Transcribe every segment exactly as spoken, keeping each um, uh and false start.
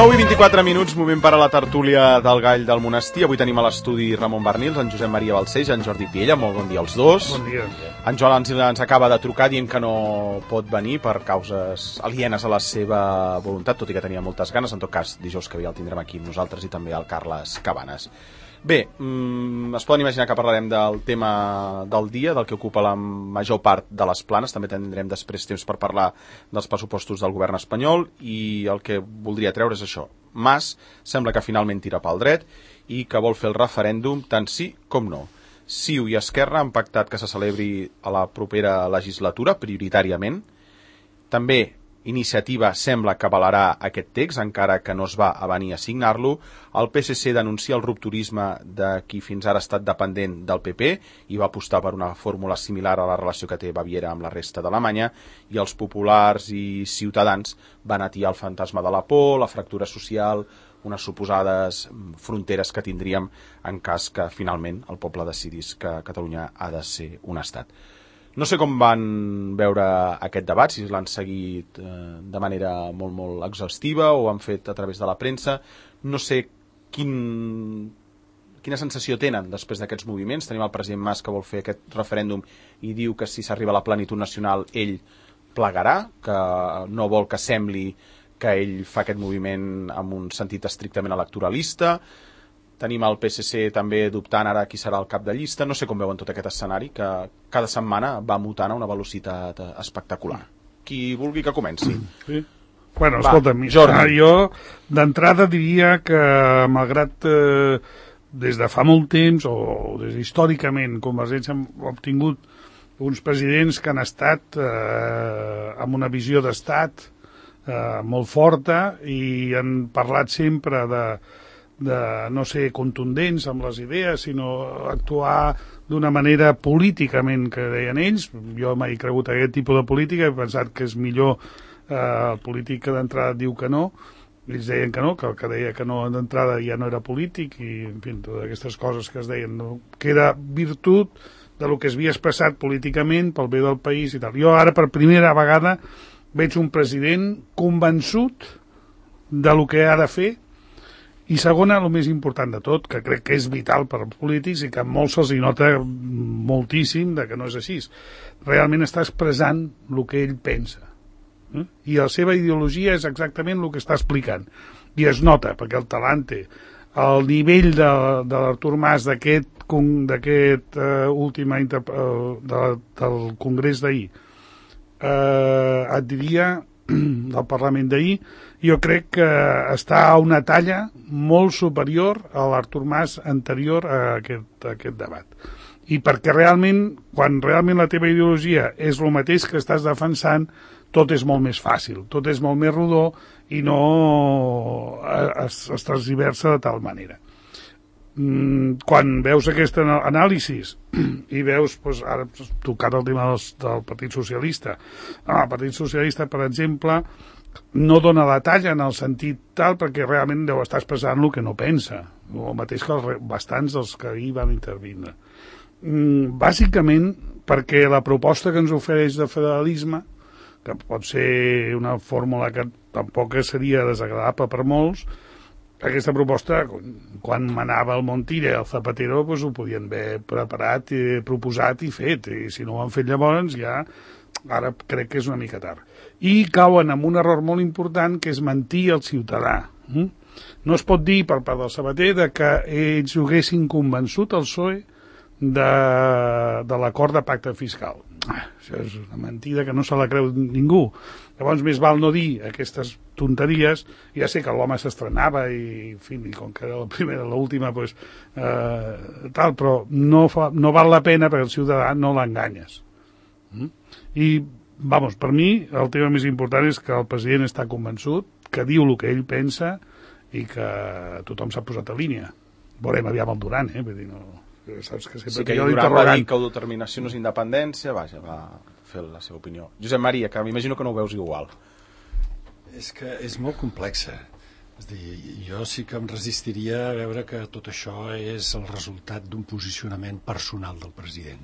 nou i vint-i-quatre minuts, moment per a la tertúlia del Gall del Monestir. Avui tenim a l'estudi Ramon Barnils, en Josep Maria Balcells i en Jordi Piella. Molt bon dia als dos. Bon dia. En Joan ens, ens acaba de trucar dient que no pot venir per causes alienes a la seva voluntat, tot i que tenia moltes ganes. En tot cas, dijous que ve el tindrem aquí amb nosaltres i també el Carles Cabanes. Bé, mmm, es poden imaginar que parlarem del tema del dia, del que ocupa la major part de les planes. També tindrem després temps per parlar dels pressupostos del govern espanyol, i el que voldria treure és això. Mas sembla que finalment tira pel dret i que vol fer el referèndum tant sí com no. Ciu i Esquerra han pactat que se celebri a la propera legislatura, prioritàriament. També Iniciativa sembla que avalarà aquest text, encara que no es va avenir a signar-lo. El P S C denuncia el rupturisme de qui fins ara ha estat dependent del P P i va apostar per una fórmula similar a la relació que té Baviera amb la resta d'Alemanya, i els populars i ciutadans van atiar el fantasma de la por, la fractura social, unes suposades fronteres que tindríem en cas que finalment el poble decidís que Catalunya ha de ser un estat. No sé com van veure aquest debat, si l'han seguit eh, de manera molt, molt exhaustiva o han fet a través de la premsa. No sé quin, quina sensació tenen després d'aquests moviments. Tenim el president Mas que vol fer aquest referèndum i diu que si s'arriba a la plenitud nacional ell plegarà, que no vol que sembli que ell fa aquest moviment amb un sentit estrictament electoralista. Tenim el P S C també dubtant ara qui serà el cap de llista. No sé com veuen tot aquest escenari que cada setmana va mutant a una velocitat espectacular. Qui vulgui que comenci. Sí. Bueno, escolta'm, Jordi. Jo d'entrada diria que malgrat eh, des de fa molt temps o des històricament Convergència ha obtingut uns presidents que han estat eh, amb una visió d'estat eh, molt forta i han parlat sempre de de no ser contundents amb les idees, sinó actuar d'una manera políticament, que deien ells. Jo mai he cregut aquest tipus de política, he pensat que és millor eh, el polític que d'entrada diu que no. Ells deien que no, que el que deia que no d'entrada ja no era polític, i en fi, totes aquestes coses que es deien, no? Que era virtut de lo que es havia expressat políticament pel bé del país i tal. Jo ara per primera vegada veig un president convençut de lo que ha de fer. I segona, el més important de tot, que crec que és vital per als polítics i que a molts se'ls nota moltíssim de que no és així. Realment està expressant el que ell pensa. Eh? I la seva ideologia és exactament el que està explicant. I es nota, perquè el talant té. El nivell de, de l'Artur Mas d'aquest d'aquest uh, últim uh, de, del congrés d'ahir, uh, et diria, del Parlament d'ahir, jo crec que està a una talla molt superior a l'Artur Mas anterior a aquest, a aquest debat. I perquè realment, quan realment la teva ideologia és el mateix que estàs defensant, tot és molt més fàcil, tot és molt més rodó i no es, es transversa de tal manera. Quan veus aquesta anàlisi i veus, doncs, ara tocat el tema del, del Partit Socialista, el Partit Socialista, per exemple, no dona la talla en el sentit tal perquè realment deu estar expressant el que no pensa, el mateix que els, bastants dels que hi van intervindre. Bàsicament perquè la proposta que ens ofereix de federalisme, que pot ser una fórmula que tampoc seria desagradable per molts, aquesta proposta, quan manava el Montilla i el Zapatero, doncs ho podien haver preparat, i proposat i fet, i si no ho han fet llavors ja, ara crec que és una mica tard. I cauen en un error molt important, que és mentir al ciutadà. No es pot dir per part del Sabater de que ells ho haguessin convençut el P S O E de, de l'acord de pacte fiscal. Això és una mentida que no se la creu ningú. Llavors més val no dir aquestes tonteries. Ja sé que l'home s'estrenava i, en fi, i com que era la primera, l'última, pues, eh, tal, però no, fa, no val la pena perquè el ciutadà no l'enganyes. Mm? I, vamos, per mi el tema més important és que el president està convençut, que diu el que ell pensa i que tothom s'ha posat a línia. Veurem aviam el Duran, eh? Vull dir, no... Saps que sí, que Duran va dir que autodeterminació no és independència, vaja, va fer la seva opinió. Josep Maria, que m'imagino que no ho veus igual. És que és molt complexa. És a dir, jo sí que em resistiria a veure que tot això és el resultat d'un posicionament personal del president.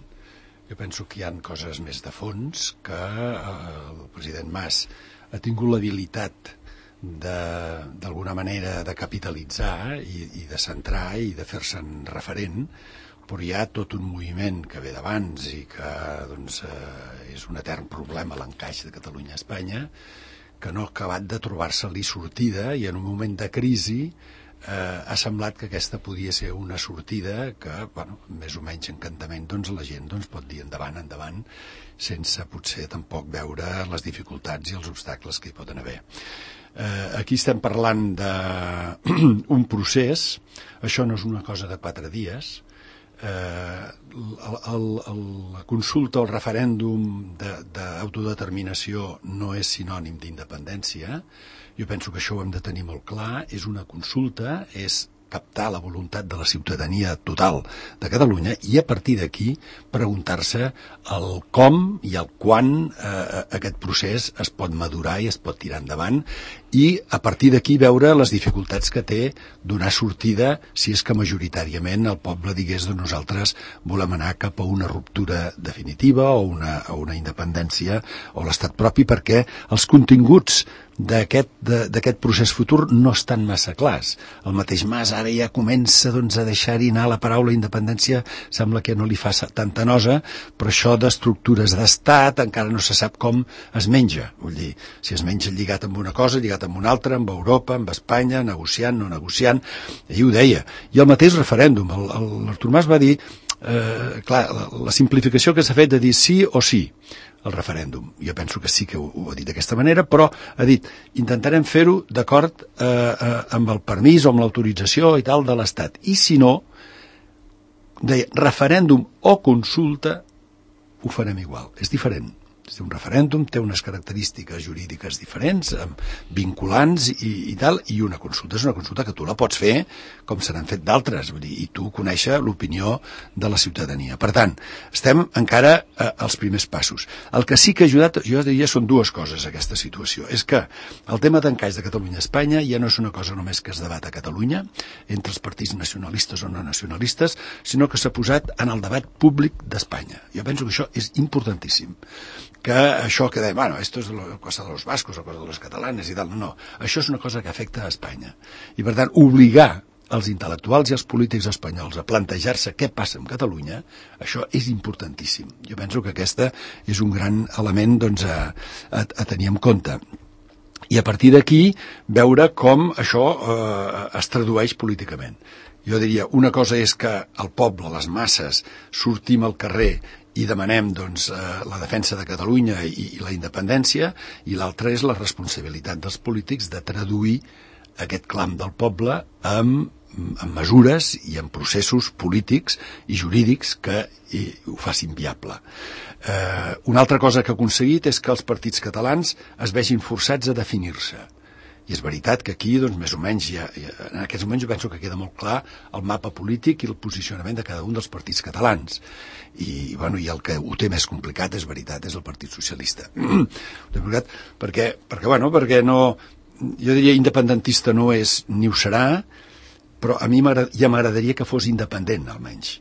Jo penso que hi ha coses més de fons, que eh, el president Mas ha tingut l'habilitat d'alguna manera de capitalitzar i, i de centrar i de fer-se'n referent, però hi ha tot un moviment que ve d'abans i que doncs, eh, és un etern problema l'encaix de Catalunya a Espanya, que no ha acabat de trobar-se-li sortida, i en un moment de crisi eh, ha semblat que aquesta podia ser una sortida que, bueno, més o menys encantament, doncs la gent doncs, pot dir endavant, endavant, sense potser tampoc veure les dificultats i els obstacles que hi poden haver. Eh, aquí estem parlant d'un procés, això no és una cosa de quatre dies. Eh, el, el, el, la consulta o el referèndum d'autodeterminació no és sinònim d'independència. Jo penso que això ho hem de tenir molt clar. És una consulta, és captar la voluntat de la ciutadania total de Catalunya i a partir d'aquí preguntar-se el com i el quan eh, aquest procés es pot madurar i es pot tirar endavant, i a partir d'aquí veure les dificultats que té donar sortida si és que majoritàriament el poble digués que nosaltres volem anar cap a una ruptura definitiva o una, o una independència o l'estat propi, perquè els continguts d'aquest procés futur no estan massa clars. El mateix Mas ara ja comença doncs, a deixar-hi anar la paraula independència, sembla que no li fa tanta nosa, però això d'estructures d'estat encara no se sap com es menja. Vull dir, si es menja lligat amb una cosa, lligat amb una altra, amb Europa, amb Espanya, negociant, no negociant, ell ho deia. I el mateix referèndum, l'Artur Mas va dir, eh, clar, la, la simplificació que s'ha fet de dir sí o sí, el referèndum. Jo penso que sí que ho, ho ha dit d'aquesta manera, però ha dit, intentarem fer-ho d'acord eh, eh, amb el permís o amb l'autorització i tal de l'Estat. I si no, deia, referèndum o consulta, ho farem igual. És diferent. Un referèndum té unes característiques jurídiques diferents, vinculants i, i tal, i una consulta és una consulta que tu la pots fer com se n'han fet d'altres, vull dir, i tu conèixer l'opinió de la ciutadania. Per tant, estem encara eh, als primers passos. El que sí que ha ajudat, jo diria, són dues coses aquesta situació. És que el tema d'encaix de Catalunya a Espanya ja no és una cosa només que es debat a Catalunya, entre els partits nacionalistes o no nacionalistes, sinó que s'ha posat en el debat públic d'Espanya. Jo penso que això és importantíssim. Que això que deia, bueno, esto es la cosa de los vascos o cosa de los catalanes i tal, no, no, això és una cosa que afecta a Espanya. I per tant, obligar els intel·lectuals i els polítics espanyols a plantejar-se què passa amb Catalunya, això és importantíssim. Jo penso que aquesta és un gran element doncs, a, a, a tenir en compte. I a partir d'aquí veure com això eh, es tradueix políticament. Jo diria, una cosa és que el poble, les masses, sortim al carrer i demanem doncs, eh, la defensa de Catalunya i, i la independència, i l'altra és la responsabilitat dels polítics de traduir aquest clam del poble amb, amb mesures i amb processos polítics i jurídics que i, ho facin viable. Eh, una altra cosa que ha aconseguit és que els partits catalans es vegin forçats a definir-se. I és veritat que aquí, doncs, més o menys, ja, ja, en aquests moments jo penso que queda molt clar el mapa polític i el posicionament de cada un dels partits catalans. I, bueno, i el que ho té més complicat, és veritat, és el Partit Socialista. ho té complicat perquè, perquè, bueno, perquè no... Jo diria independentista no és ni ho serà, però a mi ja m'agradaria que fos independent, almenys.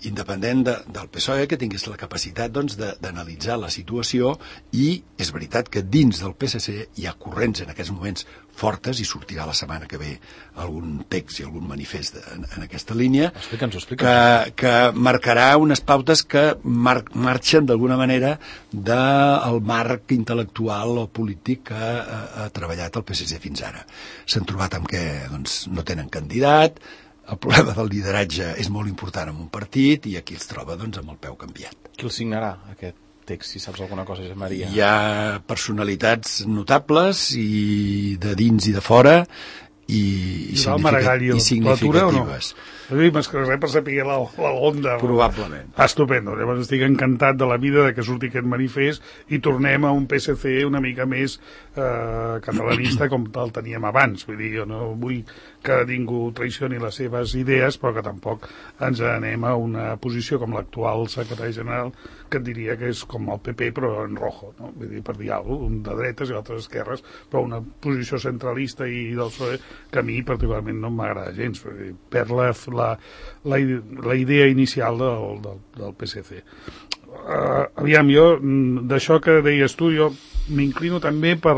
Independent de, del P S O E, que tingués la capacitat doncs, d'analitzar la situació, i és veritat que dins del P S C hi ha corrents en aquests moments fortes, i sortirà la setmana que ve algun text i algun manifest en, en aquesta línia, explica'ns, explica'ns. Que, que marcarà unes pautes que mar, marxen d'alguna manera del marc intel·lectual o polític que ha, ha treballat el P S C fins ara. S'han trobat amb que doncs, no tenen candidat. El problema del lideratge és molt important en un partit, i aquí es troba doncs, amb el peu canviat. Qui el signarà, aquest text, si saps alguna cosa, Josep Maria? Hi ha personalitats notables, i de dins i de fora, i, i, significa, i significatives. No? Més que res per saber la, la onda. Probablement. Ah, estupendo. Llavors estic encantat de la vida de que surti aquest manifest i tornem a un P S C una mica més eh, catalanista com el teníem abans. Vull dir, jo no vull que ningú traicioni les seves idees, però que tampoc ens anem a una posició com l'actual secretari general, que et diria que és com el P P però en rojo, no? Vull dir, per dir alguna cosa, un de dretes i l'altre d'esquerres, però una posició centralista i del P S O E que a mi particularment no m'agrada gens, perquè perd la, la, la, la idea inicial del, del, del P S C. Uh, aviam, jo d'això que deies tu, jo m'inclino també per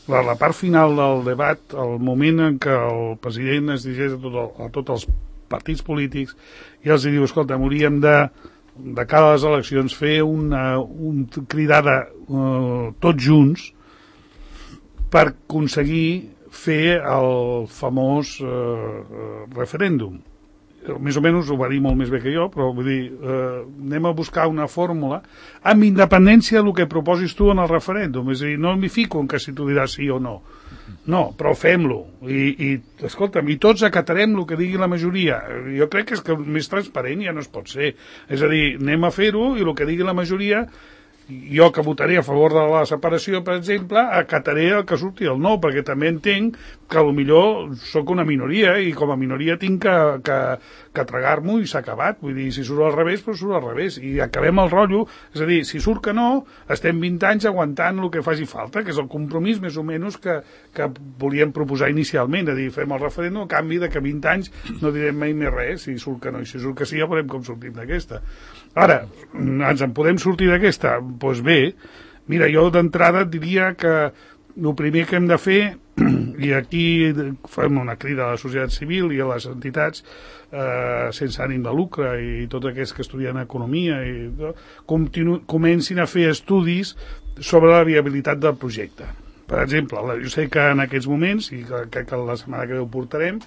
la, la part final del debat, el moment en què el president es dirigeix a, tot el, a tots els partits polítics i els diu, escolta, hauríem de, de cada les eleccions fer una, un cridada uh, tots junts per aconseguir fer el famós uh, referèndum. Més o menys ho va dir molt més bé que jo, però vull dir, eh, anem a buscar una fórmula amb independència del que proposis tu en el referèndum. És a dir, no m'hi fico en que si tu diràs sí o no. No, però fem-lo. I, i escolta'm, i tots acatarem el que digui la majoria. Jo crec que és que més transparent ja no es pot ser. És a dir, anem a fer-ho i el que digui la majoria, jo que votaré a favor de la separació, per exemple, acataré el que surti el no, perquè també entenc que potser sóc una minoria i com a minoria tinc que, que, que tragar-m'ho i s'ha acabat. Vull dir, si surt al revés, doncs surt al revés. I acabem el rotllo. És a dir, si surt que no, estem vint anys aguantant el que faci falta, que és el compromís més o menys que, que volíem proposar inicialment. És a dir, fem el referèndum a canvi de que vint anys no direm mai més res, si surt que no. I si surt que sí, ja veurem com sortim d'aquesta. Ara, ens en podem sortir d'aquesta? Doncs bé, mira, jo d'entrada diria que el primer que hem de fer, i aquí fem una crida a la societat civil i a les entitats eh, sense ànim de lucre i tots aquests que estudien economia, i continu, comencin a fer estudis sobre la viabilitat del projecte. Per exemple, jo sé que en aquests moments, i crec que la setmana que ve ho portarem,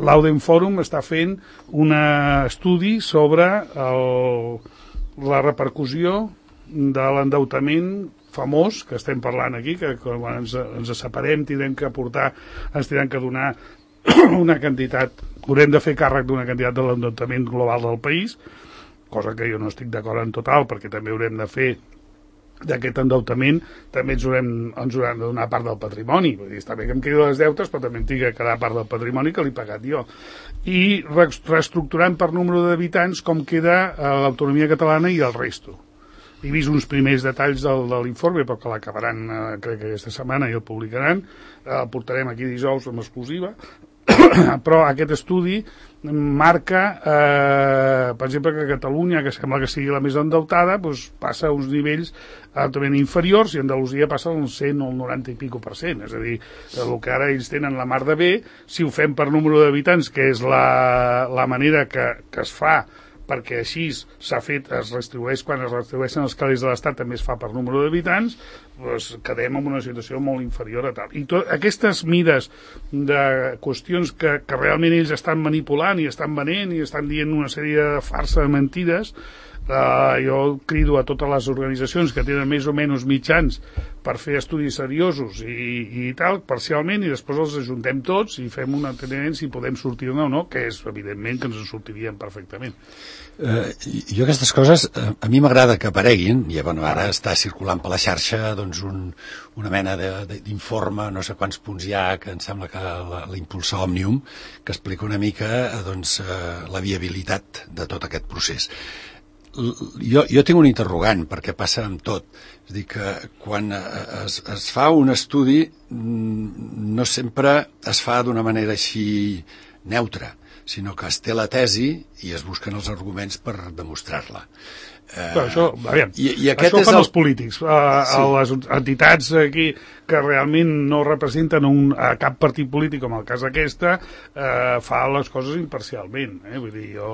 l'Auden Forum està fent un estudi sobre el, la repercussió de l'endeutament famós que estem parlant aquí, que quan ens, ens separem tindrem que aportar, ens tindrem que donar una quantitat, haurem de fer càrrec d'una quantitat de l'endeutament global del país, cosa que jo no estic d'acord en total, perquè també haurem de fer d'aquest endeutament, també ens haurem, ens haurem de donar part del patrimoni. Vull dir, està bé que em quedi les deutes, però també em tinc que quedar part del patrimoni que l'he pagat jo. I reestructurant per número d'habitants com queda l'autonomia catalana i el resto. He vist uns primers detalls del, de l'informe, però que l'acabaran, eh, crec que aquesta setmana i el publicaran, eh, el portarem aquí dijous amb exclusiva, però aquest estudi marca, eh, per exemple, que Catalunya, que sembla que sigui la més endeutada, doncs passa a uns nivells altament inferiors i Andalusia passa al cent o al noranta i pico per cent. És a dir, el que ara ells tenen la mar de bé, si ho fem per número d'habitants, que és la, la manera que, que es fa, perquè així s'ha fet, es redistribueix, quan es redistribueixen els calés de l'Estat també es fa per número d'habitants, doncs quedem en una situació molt inferior a tal. I tot, aquestes mides de qüestions que, que realment ells estan manipulant i estan venent i estan dient una sèrie de farsa de mentides, Uh, jo crido a totes les organitzacions que tenen més o menys mitjans per fer estudis seriosos i, i tal, parcialment, i després els ajuntem tots i fem un enteniment si podem sortir-ne o no, que és evidentment que ens en sortiríem perfectament. Uh, jo aquestes coses, uh, a mi m'agrada que apareguin, i bueno, ara està circulant per la xarxa doncs un, una mena d'informe, no sé quants punts hi ha, que em sembla que la, la impulsa Òmnium, que explica una mica doncs, uh, la viabilitat de tot aquest procés. Jo, jo tinc un interrogant, perquè passa amb tot. És a dir, que quan es, es fa un estudi no sempre es fa d'una manera així neutra, sinó que es té la tesi i es busquen els arguments per demostrar-la. Eh, Però això, aviam, i, i aquest això és fan el... els polítics, a, sí. a les entitats aquí que realment no representen un, a cap partit polític, com el cas aquesta, eh, fa les coses imparcialment. Eh? Vull dir, jo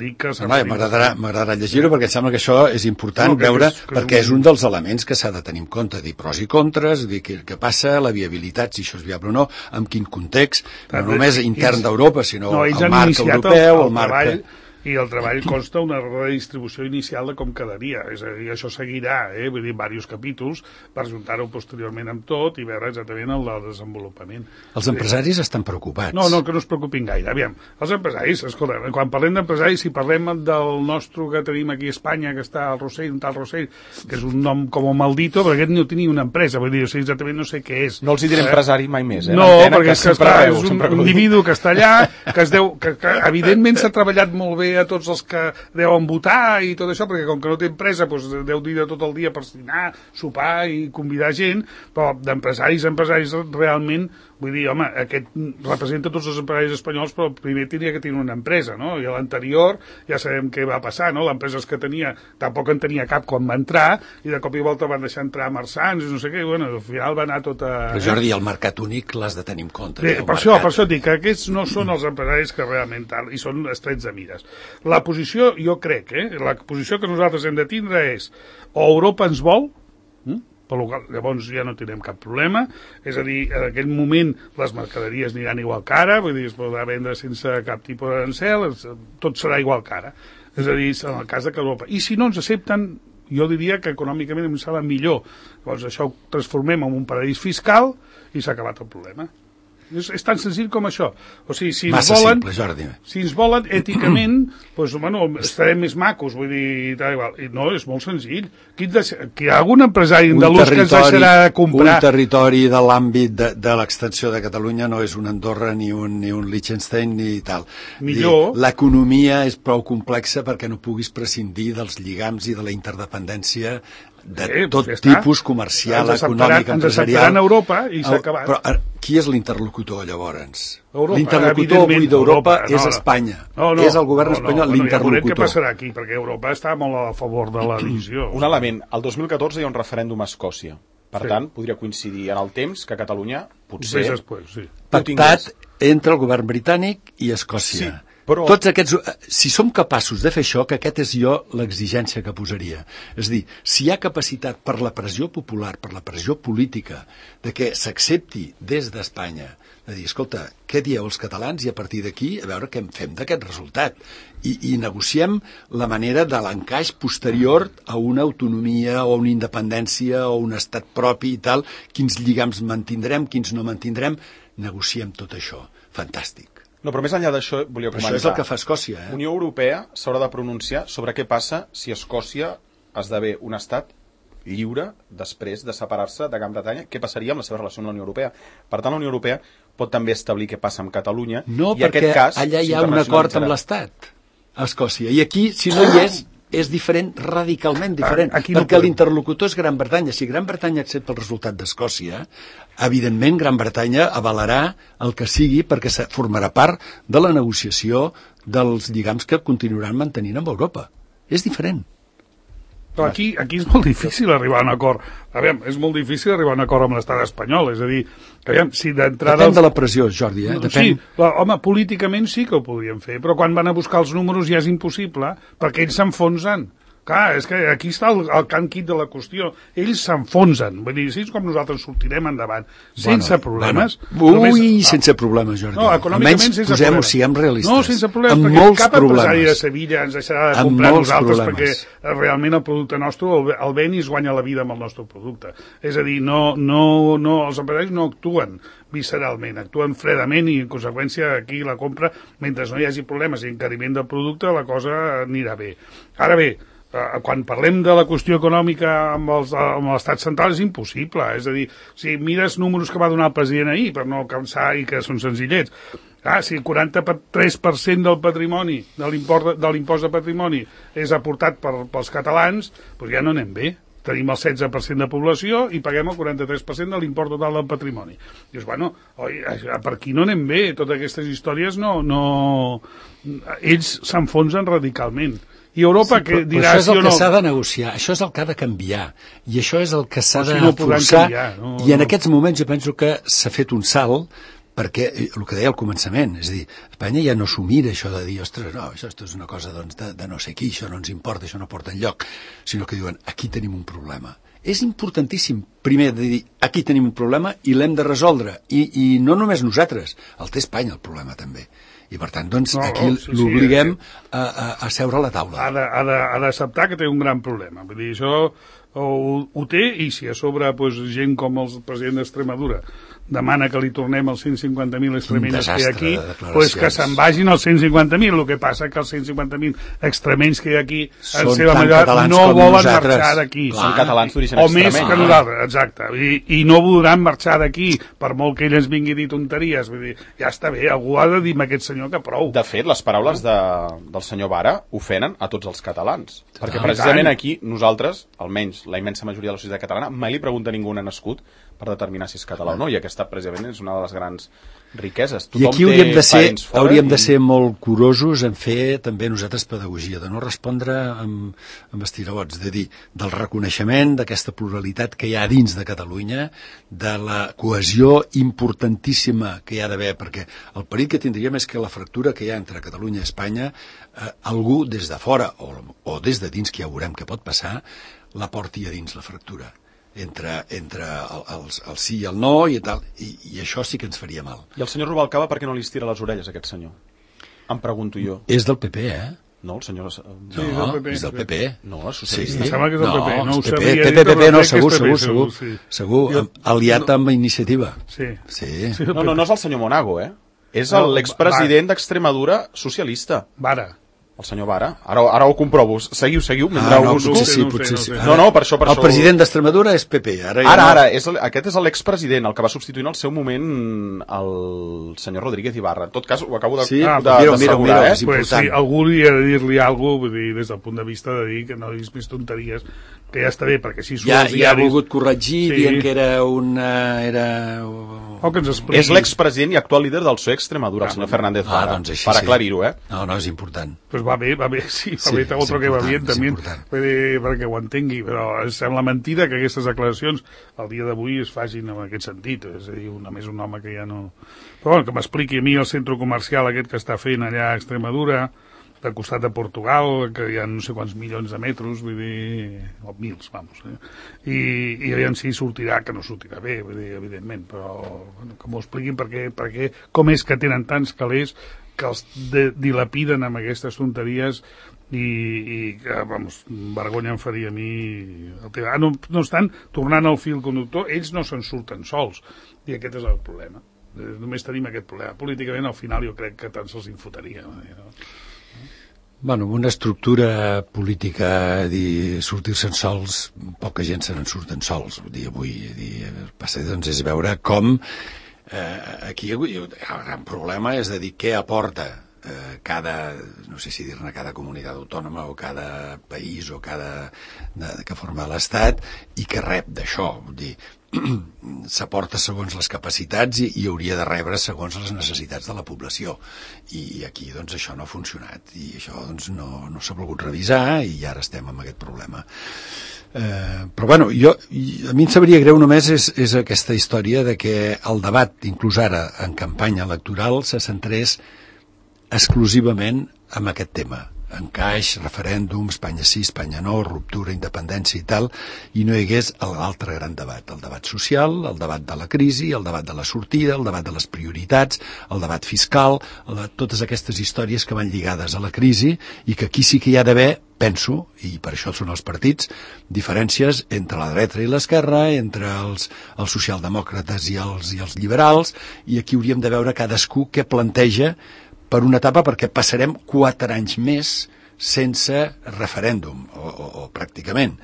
dic que... No, no, m'agradarà, m'agradarà llegir-ho, perquè em sembla que això és important no, veure, és, perquè és un... és un dels elements que s'ha de tenir en compte, dir pros i contres, dir què, què passa, la viabilitat, si això és viable o no, en quin context, no només intern d'Europa, sinó no, el marc europeu, el, el marc... Treball, i el treball consta una redistribució inicial de com quedaria, és a dir, això seguirà, eh? Vull dir, diversos capítols per juntar-ho posteriorment amb tot i veure exactament el del desenvolupament. Els empresaris estan preocupats. No, no, que no es preocupin gaire. Aviam, els empresaris, escolta, quan parlem d'empresaris, si parlem del nostre que tenim aquí a Espanya, que està al Rossell, un tal Rossell, que és un nom com un maldito, perquè aquest no tenia una empresa, vull dir, o sigui, exactament no sé què és. No els hi diré eh? empresari mai més, eh? No, perquè és, que està, arreu, és un individu que està allà, que es deu, que, que evidentment s'ha treballat molt bé a tots els que deuen votar i tot això, perquè com que no té empresa doncs deu dir de tot el dia per dinar, sopar i convidar gent, però d'empresaris empresaris realment Vull dir, home, aquest representa tots els empresaris espanyols, però primer tenia que tenir una empresa, no? I a l'anterior ja sabem què va passar, no? L'empresa que tenia tampoc en tenia cap quan va entrar, i de cop i volta van deixar entrar Marsans i no sé què, i bueno, al final va anar tot a... Però Jordi, el mercat únic l'has de tenir en compte. Bé, per, això, per això dic que aquests no són els empresaris que realment tal, i són estrets de mires. La posició, jo crec, eh? La posició que nosaltres hem de tindre és o Europa ens vol, hm? Per local, llavors ja no tindrem cap problema, és a dir, en aquell moment les mercaderies aniran igual que ara, vull dir, es podrà vendre sense cap tipus d'arancel, tot serà igual que ara, és a dir, en el cas de que Europa. I si no ens accepten, jo diria que econòmicament em sembla millor, llavors això ho transformem en un paradís fiscal i s'ha acabat el problema. És, és tan senzill com això. O sigui, si ens Massa volen, simple, Jordi. Si ens volen èticament, doncs, bueno, estarem més macos, vull dir, tal, igual. I no, és molt senzill. Qui, deix... Qui hi ha algun empresari andalús que ens deixarà de comprar... Un territori de l'àmbit de, de l'extensió de Catalunya no és un Andorra ni un, ni un Liechtenstein ni tal. Millor. L'economia és prou complexa perquè no puguis prescindir dels lligams i de la interdependència de eh, tot ja tipus comercial, econòmic, empresarial. Ens acceptaran a Europa i s'ha acabat. Però qui és l'interlocutor, llavors? Europa, l'interlocutor avui d'Europa no, és Espanya. No, no, és el govern no, espanyol no, l'interlocutor. Ja veurem què passarà aquí, perquè Europa està molt a favor de la divisió. Un element, el dos mil catorze hi ha un referèndum a Escòcia. Per sí. tant, podria coincidir en el temps que Catalunya potser... Més després, sí. Pactat entre el govern britànic i Escòcia. Sí. Però... Tots aquests, si som capaços de fer això, que aquest és jo l'exigència que posaria. És a dir, si hi ha capacitat per la pressió popular, per la pressió política, de que s'accepti des d'Espanya, de dir, escolta, què dieu els catalans i a partir d'aquí a veure què en fem d'aquest resultat. I, i negociem la manera de l'encaix posterior a una autonomia o una independència o un estat propi i tal, quins lligams mantindrem, quins no mantindrem, negociem tot això. Fantàstic. No, però més enllà d'això volia comentar. Això és el que fa Escòcia, eh? Unió Europea s'haurà de pronunciar sobre què passa si Escòcia esdevé un estat lliure després de separar-se de Gran Bretanya. Què passaria amb la seva relació amb la Unió Europea? Per tant, la Unió Europea pot també establir què passa amb Catalunya. No, i perquè aquest cas allà hi ha un acord amb l'Estat, a Escòcia. I aquí, si no hi és, és diferent, radicalment diferent, aquí no perquè podem. L'interlocutor és Gran Bretanya. Si Gran Bretanya accepta el resultat d'Escòcia, evidentment Gran Bretanya avalarà el que sigui perquè formarà part de la negociació dels lligams que continuaran mantenint amb Europa. És diferent. Però aquí, aquí és molt difícil arribar a un acord. A veure, és molt difícil arribar a un acord amb l'estat espanyol. És a dir, que, aviam, si d'entrada... Depèn de la pressió, Jordi, eh? Depèn... Sí, però, home, políticament sí que ho podríem fer, però quan van a buscar els números ja és impossible, perquè ells s'enfonsen. Clar, és que aquí està el, el can quid de la qüestió. Ells s'enfonsen. Vull dir, sí, és com nosaltres sortirem endavant. Sense bueno, problemes. Bueno. Ui, només... sense problemes, Jordi. No, econòmicament sense problemes. Almenys posem-ho, siguem realistes. No, sense problemes, amb perquè cap problemes. empresari de Sevilla ens deixarà de comprar nosaltres problemes. Perquè realment el producte nostre, el, el ven i es guanya la vida amb el nostre producte. És a dir, no, no, no, els empresaris no actuen visceralment, actuen fredament i en conseqüència aquí la compra, mentre no hi hagi problemes i encariment del producte, la cosa anirà bé. Ara bé, Uh, quan parlem de la qüestió econòmica amb, els, amb l'estat central és impossible, és a dir, si mires números que va donar el president ahir per no cansar i que són senzillets, ah, si el quaranta-tres per cent del patrimoni de l'impost de, de patrimoni és aportat per, pels catalans, doncs ja no anem bé. Tenim el setze per cent de població i paguem el quaranta-tres per cent de l'import total del patrimoni. Dius, bueno, oi, per aquí no anem bé, totes aquestes històries no... no... ells s'enfonsen radicalment. I Europa sí, que dirà... Però això és el sí que no... s'ha de negociar, això és el que ha de canviar, i això és el que s'ha de si no forçar, canviar, no, i en no. aquests moments jo penso que s'ha fet un salt, perquè el que deia al començament, és a dir, Espanya ja no s'ho mira això de dir, ostres, no, això és una cosa doncs, de, de no sé qui, això no ens importa, això no porta enlloc, sinó que diuen, aquí tenim un problema. És importantíssim, primer, de dir, aquí tenim un problema i l'hem de resoldre, i, i no només nosaltres, el té Espanya el problema també. I per tant, doncs, no, aquí sí, l'obliguem sí, sí. a, a, a seure a la taula. Ha d'acceptar que té un gran problema. Vull dir, això ho, ho té, i si a sobre pues, gent com el president d'Extremadura demana que li tornem els cent cinquanta mil extremenys que hi ha aquí, pues que se'n vagin els cent cinquanta mil. El que passa que els cent cinquanta mil extremenys que hi ha aquí, en seva majoria, no volen nosaltres. Marxar d'aquí. Són catalans d'origen extremeny. O més que nosaltres, exacte. I, I no voldran marxar d'aquí, per molt que ell ens vingui a dir tonteries. Vull dir, ja està bé, algú ha de dir a aquest senyor que prou. De fet, les paraules de, del senyor Vara ofenen a tots els catalans. Perquè precisament aquí, nosaltres, almenys la immensa majoria de la societat catalana, mai li pregunta a ningú on ha nascut, per determinar si és català o no, i aquesta precisament és una de les grans riqueses. Tothom I aquí hauríem de ser, hauríem i... de ser molt curosos en fer també nosaltres pedagogia, de no respondre amb, amb estirabots, de dir, del reconeixement d'aquesta pluralitat que hi ha dins de Catalunya, de la cohesió importantíssima que hi ha d'haver, perquè el perill que tindríem és que la fractura que hi ha entre Catalunya i Espanya, eh, algú des de fora o, o des de dins, que ja veurem què pot passar, la porti a dins la fractura. entre, entre el, el, el sí i el no i tal, i, i això sí que ens faria mal. I el senyor Rubalcaba per què no li estira les orelles a aquest senyor? Em pregunto jo. És del P P, eh? No, el senyor... Sí, no, és del P P. És del P P. No, és socialista. Sí. Em sembla que és del no, P P. No ho P P, sabia. P P, P P, no, segur, segur, segur. Sí. Segur, jo, aliat no, amb Iniciativa. Sí. Sí. No, no, no és el senyor Monago, eh? És no, l'expresident d'Extremadura socialista. Vara. El senyor Vara. Ara, ara ho comprovo. Seguiu, seguiu, mentre ah, no, ho busco. Potser sí, potser sí. No, no, per això... Per el això... president d'Extremadura és P P. Ara, ara, no... ara és el, aquest és l'expresident, el que va substituir en el seu moment el senyor Rodríguez Ibarra. En tot cas, ho acabo de, sí? de, ah, de, mira, de mira, assegurar, mira, eh? Pues, sí, algú hauria de dir-li alguna cosa, des del punt de vista de dir que no diguis més tonteries, que ja està bé, perquè si surt ja, els diaris... Ja ha volgut corregir, sí. dient que era una... Era... O que ens expliqui. És l'expresident i actual líder del P S O E Extremadura, ah, el senyor Fernández Vara, ah, doncs així, per sí. aclarir-ho, eh? No, no, és important. Pues va bé, va bé, sí, va sí, bé, otro que va bien també, dir, perquè ho entengui, però sembla mentida que aquestes declaracions al dia d'avui es facin en aquest sentit, és a dir, una més un home que ja no... Però bueno, que m'expliqui a mi el centre comercial aquest que està fent allà a Extremadura, del costat de Portugal, que hi ha no sé quants milions de metres, vull dir, o mils, vamos, eh? I, i aviam si sortirà, que no sortirà bé, vull dir, evidentment, però bueno, que m'ho expliquin perquè, perquè com és que tenen tants calés que els de, dilapiden amb aquestes tonteries i, i que, vamos, vergonya em faria a mi el tema. Ah, no, no estan tornant al fil conductor, ells no se'n surten sols, i aquest és el problema. Només tenim aquest problema. Políticament, al final, jo crec que tant se'ls infutaria, no? Bueno, una estructura política, dir, sortir-se'n sols, poca gent se n'en surten sols. Vull dir, avui dir, passa, doncs, és veure com eh, aquí el gran problema és de dir què aporta eh, cada, no sé si dir-ne cada comunitat autònoma o cada país o cada de, que forma l'Estat i que rep d'això. Vull dir, s'aporta segons les capacitats i, i hauria de rebre segons les necessitats de la població i aquí doncs això no ha funcionat i això doncs no, no s'ha volgut revisar i ara estem amb aquest problema. Eh, però bueno, jo, a mi em sabria greu només és, és aquesta història de que el debat, inclús ara en campanya electoral, se centrés exclusivament en aquest tema, encaix, referèndum, Espanya sí, Espanya no, ruptura, independència i tal, i no hi hagués l'altre gran debat, el debat social, el debat de la crisi, el debat de la sortida, el debat de les prioritats, el debat fiscal, el de totes aquestes històries que van lligades a la crisi i que aquí sí que hi ha d'haver, penso, i per això són els partits, diferències entre la dreta i l'esquerra, entre els, els socialdemòcrates i els, i els liberals, i aquí hauríem de veure cadascú què planteja per una etapa, perquè passarem quatre anys més sense referèndum, o, o, o pràcticament.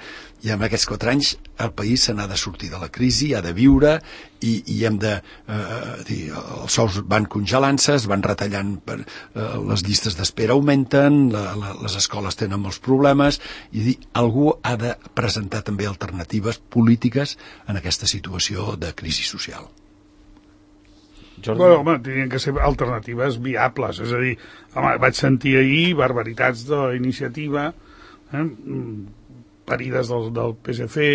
I en aquests quatre anys el país se n'ha de sortir de la crisi, ha de viure, i, i hem de... Eh, dir, els sous van congelant-se, es van retallant, per, eh, les llistes d'espera augmenten, la, la, les escoles tenen molts problemes, i dir, algú ha de presentar també alternatives polítiques en aquesta situació de crisi social. Jordi. Bueno, home, tenien que ser alternatives viables, és a dir, home, vaig sentir ahir barbaritats de la iniciativa, eh, parides del, del P S C,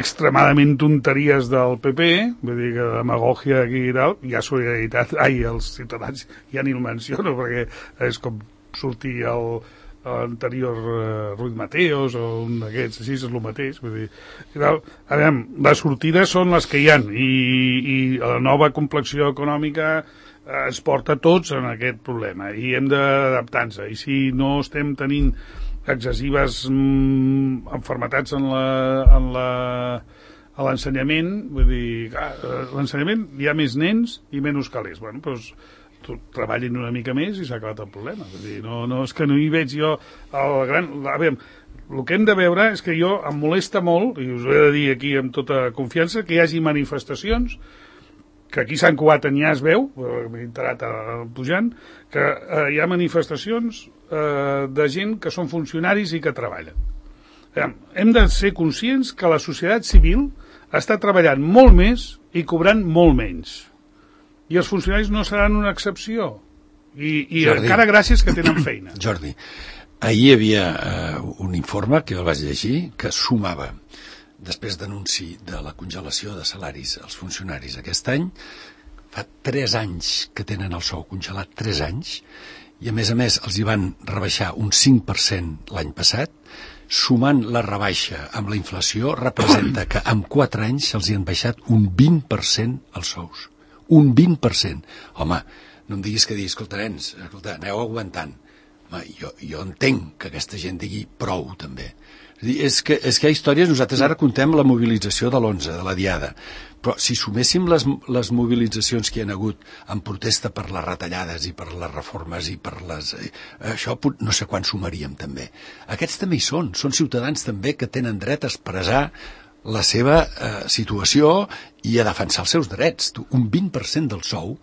extremadament tonteries del P P, vull dir que demagògia aquí i tal, hi ha solidaritat, ai, els ciutadans ja ni el menciono, perquè és com sortir el l'anterior uh, Ruiz Mateos o un d'aquests, així és el mateix, vull dir, a veure, les sortides són les que hi ha i, i la nova complexió econòmica uh, ens porta tots en aquest problema i hem d'adaptar-nos, i si no estem tenint excessives mm, enfermetats en la, en la a l'ensenyament, vull dir, clar, l'ensenyament hi ha més nens i menys calés, bueno, doncs treballin una mica més i s'ha acabat el problema. Vull dir, no, no, és que no hi veig jo el gran... A veure, el que hem de veure és que jo em molesta molt, i us ho he de dir aquí amb tota confiança, que hi hagi manifestacions, que aquí a Sant Cugat ja es veu, m'he enterat pujant, que eh, hi ha manifestacions eh, de gent que són funcionaris i que treballen. Veure, hem de ser conscients que la societat civil està treballant molt més i cobrant molt menys. I els funcionaris no seran una excepció. I, i encara gràcies que tenen feina. Jordi, ahir hi havia uh, un informe que jo el vaig llegir que sumava, després d'anunci de la congelació de salaris als funcionaris aquest any, fa tres anys que tenen el sou congelat, tres anys, i a més a més els hi van rebaixar un cinc per cent l'any passat, sumant la rebaixa amb la inflació representa que en quatre anys se'ls hi han baixat un vint per cent els sous. Un vint per cent. Home, no em diguis que diguis, escolta, nens, escolta, aneu aguantant. Home, jo, jo entenc que aquesta gent digui prou, també. És, dir, és, que, és que hi ha històries, nosaltres ara contem la mobilització de l'onze, de la Diada, però si suméssim les, les mobilitzacions que hi ha hagut en protesta per les retallades i per les reformes i per les... Eh, això no sé quan sumaríem, també. Aquests també hi són, són ciutadans també que tenen dret a expressar la seva eh, situació i a defensar els seus drets. Un vint per cent del sou,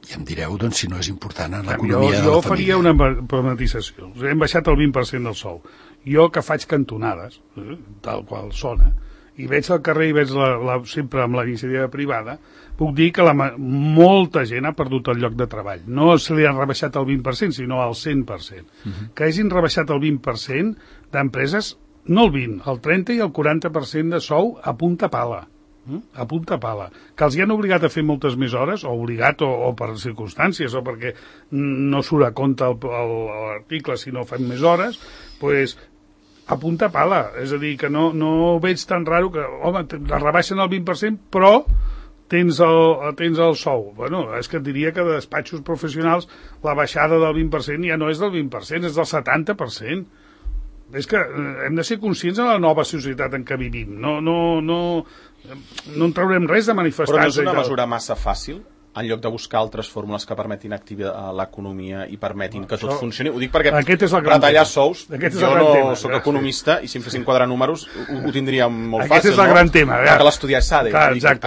i em direu, doncs, si no és important en l'economia de la família. Jo faria una matisació. Hem baixat el vint per cent del sou. Jo que faig cantonades, eh, tal qual sona, i veig al carrer i veig la, la, sempre amb la iniciativa privada, puc dir que la, molta gent ha perdut el lloc de treball. No se li han rebaixat el vint per cent, sinó el cent per cent. Uh-huh. Que hagin rebaixat el vint per cent d'empreses, no el vint, el trenta i el quaranta per cent de sou a punta pala. A punta pala, que els hi han obligat a fer moltes més hores, o obligat o, o per circumstàncies, o perquè no surt a compte l'article si no fan més hores, pues, a punta pala. És a dir, que no, no veig tan raro que, home, la rebaixen el vint per cent, però tens el, tens el sou. Bueno, és que et diria que de despatxos professionals la baixada del vint per cent ja no és del vint per cent, és del setanta per cent. És que hem de ser conscients de la nova societat en què vivim. No, no, no, no en traurem res de manifestar-se. Però no és una mesura massa fàcil, en lloc de buscar altres fórmules que permetin activar l'economia i permetin que tot funcioni? Ho dic perquè retallar sous, jo no soc economista i si em fessin quadrar números ho tindria molt fàcil. Aquest és el gran tema. Que l'estudiar és S A D.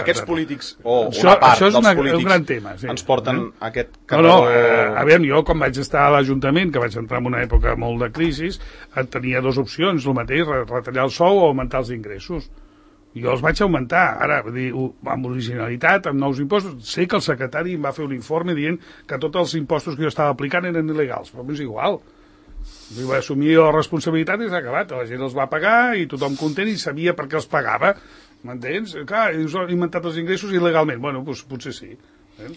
Aquests polítics, o una part dels polítics, ens porten aquest carreró... No, no, a veure, jo quan vaig estar a l'Ajuntament, que vaig entrar en una època molt de crisi, tenia dues opcions, el mateix, retallar el sou o augmentar els ingressos. Jo els vaig augmentar, ara, dir, amb originalitat, amb nous impostos. Sé que el secretari em va fer un informe dient que tots els impostos que jo estava aplicant eren il·legals, però és igual. Jo vaig assumir la responsabilitat i s'ha acabat. La gent els va pagar i tothom content i sabia per què els pagava. M'entens? Clar, us han inventat els ingressos il·legalment. Bueno, doncs potser sí. Eh?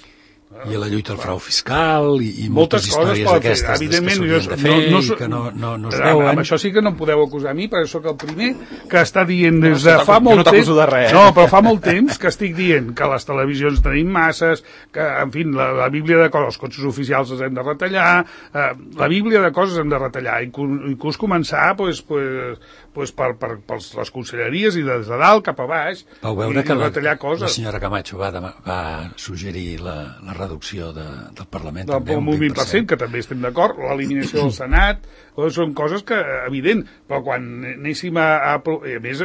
I la lluita al frau fiscal i, i moltes, moltes històries d'aquestes que s'haurien de fer no, no, i que no, no, no es veuen. Amb això sí que no em podeu acusar a mi, perquè sóc el primer que està dient des de no, fa molt no temps... De res, eh? No, però fa molt temps que estic dient que les televisions tenim masses, que, en fi, la, la bíblia de coses, els cotxes oficials els hem de retallar, eh, la bíblia de coses hem de retallar, i inclús començar pues, pues, pues, per, per, per les conselleries i des de dalt cap a baix. Vau veure i, que i la, coses. La senyora Camacho va, demà, va suggerir la, la reducció de, del Parlament del, també, un vint per cent, que també estem d'acord, l'eliminació del Senat, són coses que, evident, però quan anéssim a... a, a més,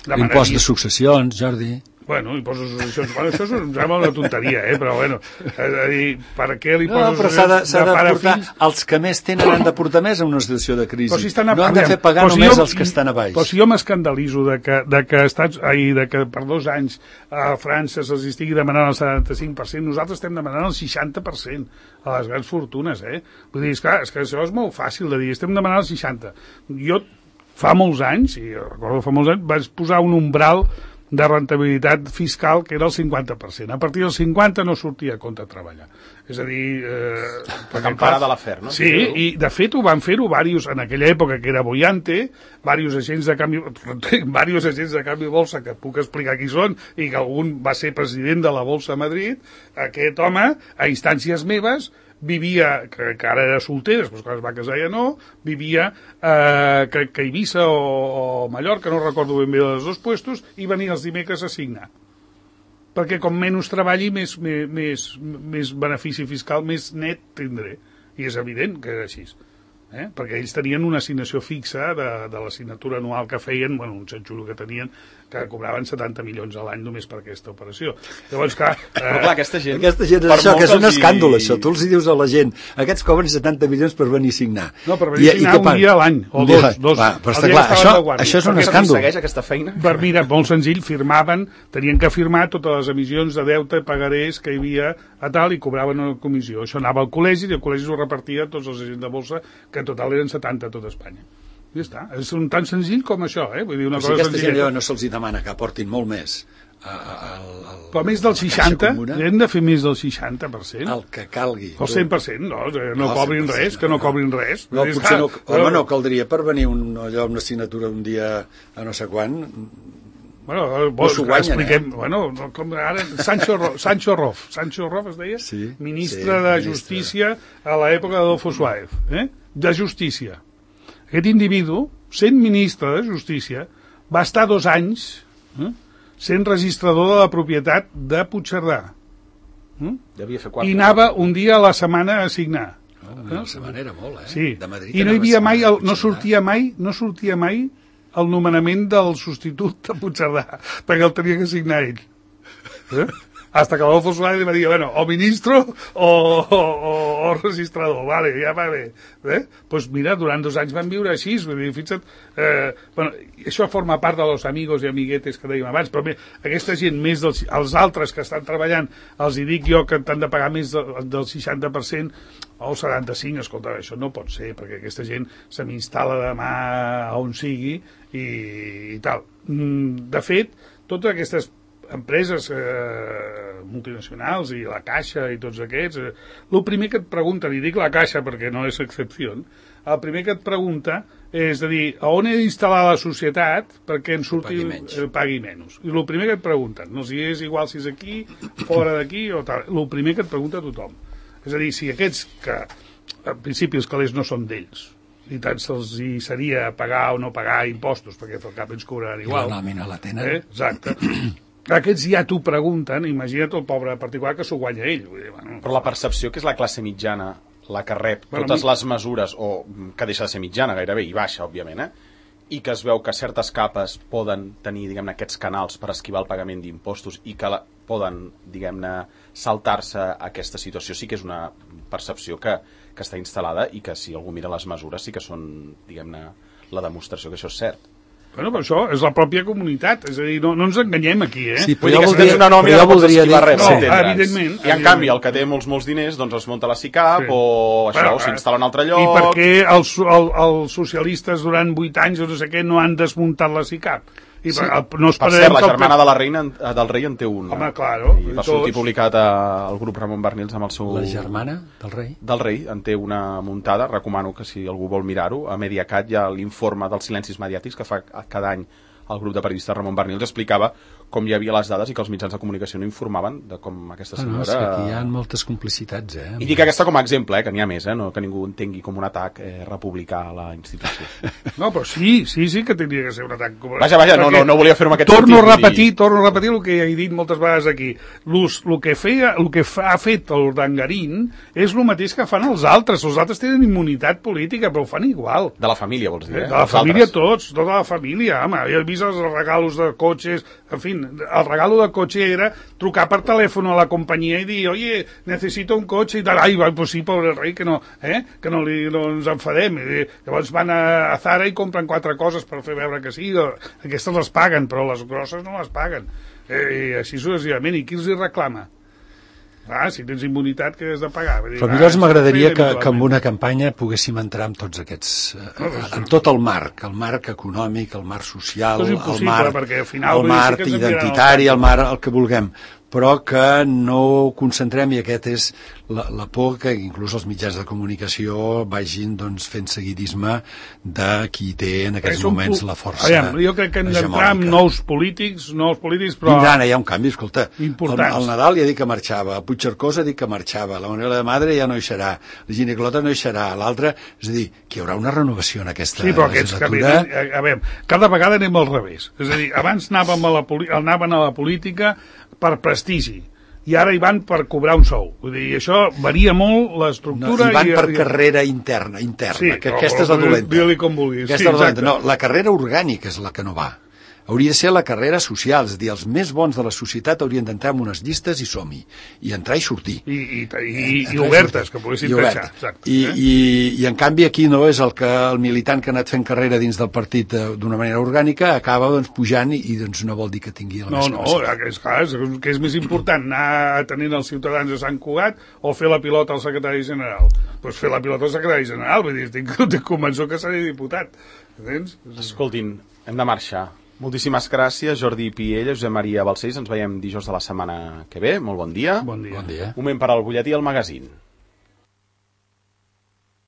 l'impost de successions, Jordi. Bueno, impost de successions, bueno, això em sembla una tonteria, eh? Però bueno, és a dir, per què l'impost no, de successions s'ha de, de portar, fills... els que més tenen han de portar més en una situació de crisi, si a... no han de fer pagar si només jo, els que estan a baix. Però si jo m'escandalitzo de que, de que, estats, ai, de que per dos anys a França se'ls estigui demanant el setanta-cinc per cent, nosaltres estem demanant el seixanta per cent a les grans fortunes, eh? Vull dir, és, clar, és que això és molt fàcil de dir, estem demanant el seixanta. Jo fa molts anys, i recordo fa molts anys, vaig posar un umbral de rentabilitat fiscal que era el cinquanta per cent. A partir del cinquanta no sortia a compte treballar. És a dir... Eh, la campana de l'afer, no? Sí, i de fet ho van fer-ho varios, en aquella època que era Boyante, varios agents de canvi, varios agents de canvi bolsa, que puc explicar qui són, i que algun va ser president de la Bolsa de Madrid, aquest home, a instàncies meves, vivia, que, que ara era solter, després quan es va casar ja no, vivia eh, que, que Eivissa o, o Mallorca, no recordo ben bé dels dos puestos, i venia els dimecres a signar. Perquè com menys treballi, més, més, més benefici fiscal, més net tindré. I és evident que és així. Eh? Perquè ells tenien una assignació fixa de, de l'assignatura anual que feien, bueno, un xanxulo que tenien, que cobraven setanta milions a l'any només per aquesta operació. Llavors, clar... Eh, Però clar, aquesta gent... Aquesta gent és això, que és un escàndol, això. Tu els dius a la gent, aquests cobren setanta milions per venir a signar. No, per venir a signar un dia a l'any, o dos. dos. Va, però està clar, això, això és un escàndol. Segueix aquesta feina? Per, mira, molt senzill, firmaven, tenien que firmar totes les emissions de deute i pagarés que hi havia a tal i cobraven una comissió. Això anava al col·legi i el col·legi ho repartia a tots els agents de bolsa, que en total eren setanta a tot Espanya. I ja està. És un tan senzill com això, eh? Vull dir, una cosa cosa senzilla. Si aquesta gent no se'ls demana que aportin molt més. A, a, a, a, però més del seixanta, hem de fer més del seixanta per cent. El que calgui. El cent per cent, no, no cobrin res, que no cobrin res. No, potser no, home, no caldria per venir un, allò, una assignatura un dia a no sé quan. Bueno, vos, no guanyen, expliquem, eh? Bueno, com ara, Sancho, Ro, Sancho Rof, Sancho Rof es deia, sí, ministre sí, de Justícia a l'època d'Adolfo Suárez, eh? De Justícia. Aquest individu, sent ministre de Justícia, va estar dos anys eh, sent registrador de la propietat de Puigcerdà. Eh? Devia fer quatre. I anava un dia a la setmana a signar. Oh, eh? La setmana era molt, eh? Sí. De Madrid I no hi havia mai, el, no sortia mai, no sortia mai el nomenament del substitut de Puigcerdà, perquè el tenia que signar ell. Eh? Hasta que Adolfo Suárez va dir, bueno, o ministro o, o, o, o registrador, vale, ja va bé. Eh? Pues mira, durant dos anys van viure així, vull dir, fixa't, eh, bueno, això forma part de los amigos i amiguetes que dèiem abans, però bé, aquesta gent, més dels, els altres que estan treballant, els hi dic jo que t'han de pagar més del, del seixanta per cent o setanta-cinc per cent, escolta, això no pot ser, perquè aquesta gent se m'instal·la demà on sigui i, i tal. De fet, totes aquestes empreses eh, multinacionals i la Caixa i tots aquests, eh, el primer que et pregunten, i dic la Caixa perquè no és excepció, el primer que et pregunta és a dir, a on he d'instal·lar la societat perquè en surti pagui menys. Eh, pagui menys. I el primer que et pregunten, no si és igual si és aquí, fora d'aquí o tal, el primer que et pregunta tothom. És a dir, si aquests que en principi els calés no són d'ells, i tant se'ls hi seria pagar o no pagar impostos, perquè al cap ens cobraran igual. I la nòmina la tenen. Eh? Exacte. Aquests ja t'ho pregunten, imagina't el pobre particular que s'ho guanya ell. Vull dir, bueno, però la percepció que és la classe mitjana, la que rep bueno, totes mi... les mesures, o que deixa de ser mitjana gairebé, i baixa, òbviament, eh? I que es veu que certes capes poden tenir, diguem-ne, aquests canals per esquivar el pagament d'impostos i que la, poden, diguem-ne, saltar-se aquesta situació, sí que és una percepció que, que està instal·lada i que si algú mira les mesures sí que són, diguem-ne, la demostració que això és cert. Bueno, però això és la pròpia comunitat, és a dir, no, no ens enganyem aquí, eh? Sí, però jo voldria, una nòmina no pots esquivar res, no, evidentment. I en canvi, el que té molts, molts diners, doncs es munta la SICAP, sí. o això, bueno, o s'instal·la en un altre lloc... I per què els, el, els socialistes durant vuit anys o no sé què no han desmuntat la SICAP? I sí. per, no per cert, la germana de la reina, del rei en té un. Home, claro. I va sortir publicat al grup Ramon Barnils amb el seu... La germana del rei? Del rei, en té una muntada, recomano que si algú vol mirar-ho, a Mediacat hi ha l'informe dels silencis mediàtics que fa cada any el grup de periodistes Ramon Barnils explicava com hi havia les dades i que els mitjans de comunicació no informaven de com aquesta senyora... Ah, no, és que aquí hi ha moltes complicitats, eh? I dic aquesta com a exemple, eh, que n'hi ha més, eh, no, que ningú entengui com un atac eh, republicà a la institució. No, però sí, sí, sí que tindria que ser un atac... Vaja, vaja, no, no, no volia fer-ho amb aquest torno sentit. A repetir, i... Torno a repetir el que he dit moltes vegades aquí. El que, feia, el que fa, ha fet el Dangarín és el mateix que fan els altres. Els altres tenen immunitat política, però ho fan igual. De la família, vols dir, eh? De la els família altres. Tots, tota la família, home. Jo he vist els regalos de cotxes, en fi, el regalo del cotxe era trucar per telèfon a la companyia i dir, oye, necessito un cotxe i tal, ai, pues sí, pobre rei, que no, eh? que no, li, no ens enfadem. I llavors van a, a Zara i compren quatre coses per fer veure que sí, aquestes les paguen, però les grosses no les paguen. Eh, I així successivament. I qui els hi reclama? Ah, si tens immunitat, que has de pagar. Dir, però a mi doncs m'agradaria que, que en una campanya poguéssim entrar en tots aquests... Eh, en tot el marc, el marc econòmic, el marc social, el marc, al final, el marc identitari, el marc, el que vulguem, però que no concentrem, i aquest és la, la por que inclús els mitjans de comunicació vagin doncs, fent seguidisme de qui té en aquests Som, moments la força aviam, jo crec que hem d'entrar amb nous polítics, nous polítics, però... Vindran, hi ha un canvi, escolta, el, el Nadal ja ha dit que marxava, el Puigcercós ha dit que marxava, la Manuela de Madre ja no hi serà, la Gineclota no hi serà, l'altra, és a dir, que hi haurà una renovació en aquesta sí, però legislatura. Aquests que, a veure, cada vegada anem al revés, és a dir, abans anàvem a la, anaven a la política per prestigi. i ara hi van per cobrar un sou. Vull dir, això varia molt l'estructura... No, hi van i, per i... carrera interna, interna sí, que no, aquesta és la dolenta. Digue-li com vulguis. Aquesta Sí, és la dolenta. exacte. No, la carrera orgànica és la que no va. Hauria de ser la carrera social, és a dir, els més bons de la societat haurien d'entrar en unes llistes i som-hi, i entrar i sortir. I, i, i, i obertes, que poguessin deixar. Exacte. I, i, I en canvi aquí no és el que el militant que ha anat fent carrera dins del partit d'una manera orgànica acaba doncs, pujant i, i doncs, no vol dir que tingui la No, més no, capacitat. és clar, és, que és més important anar atenent els ciutadans de Sant Cugat o fer la pilota al secretari general. Doncs pues fer la pilota al secretari general, vull dir, estic, estic convençut que seré diputat. Entens? Escoltin, hem de marxar. Moltíssimes gràcies, Jordi Piella, Josep Maria Balcells. Ens veiem dijous de la setmana que ve. Molt bon dia. Bon dia. Bon dia. Un moment per al butlletí al magazín.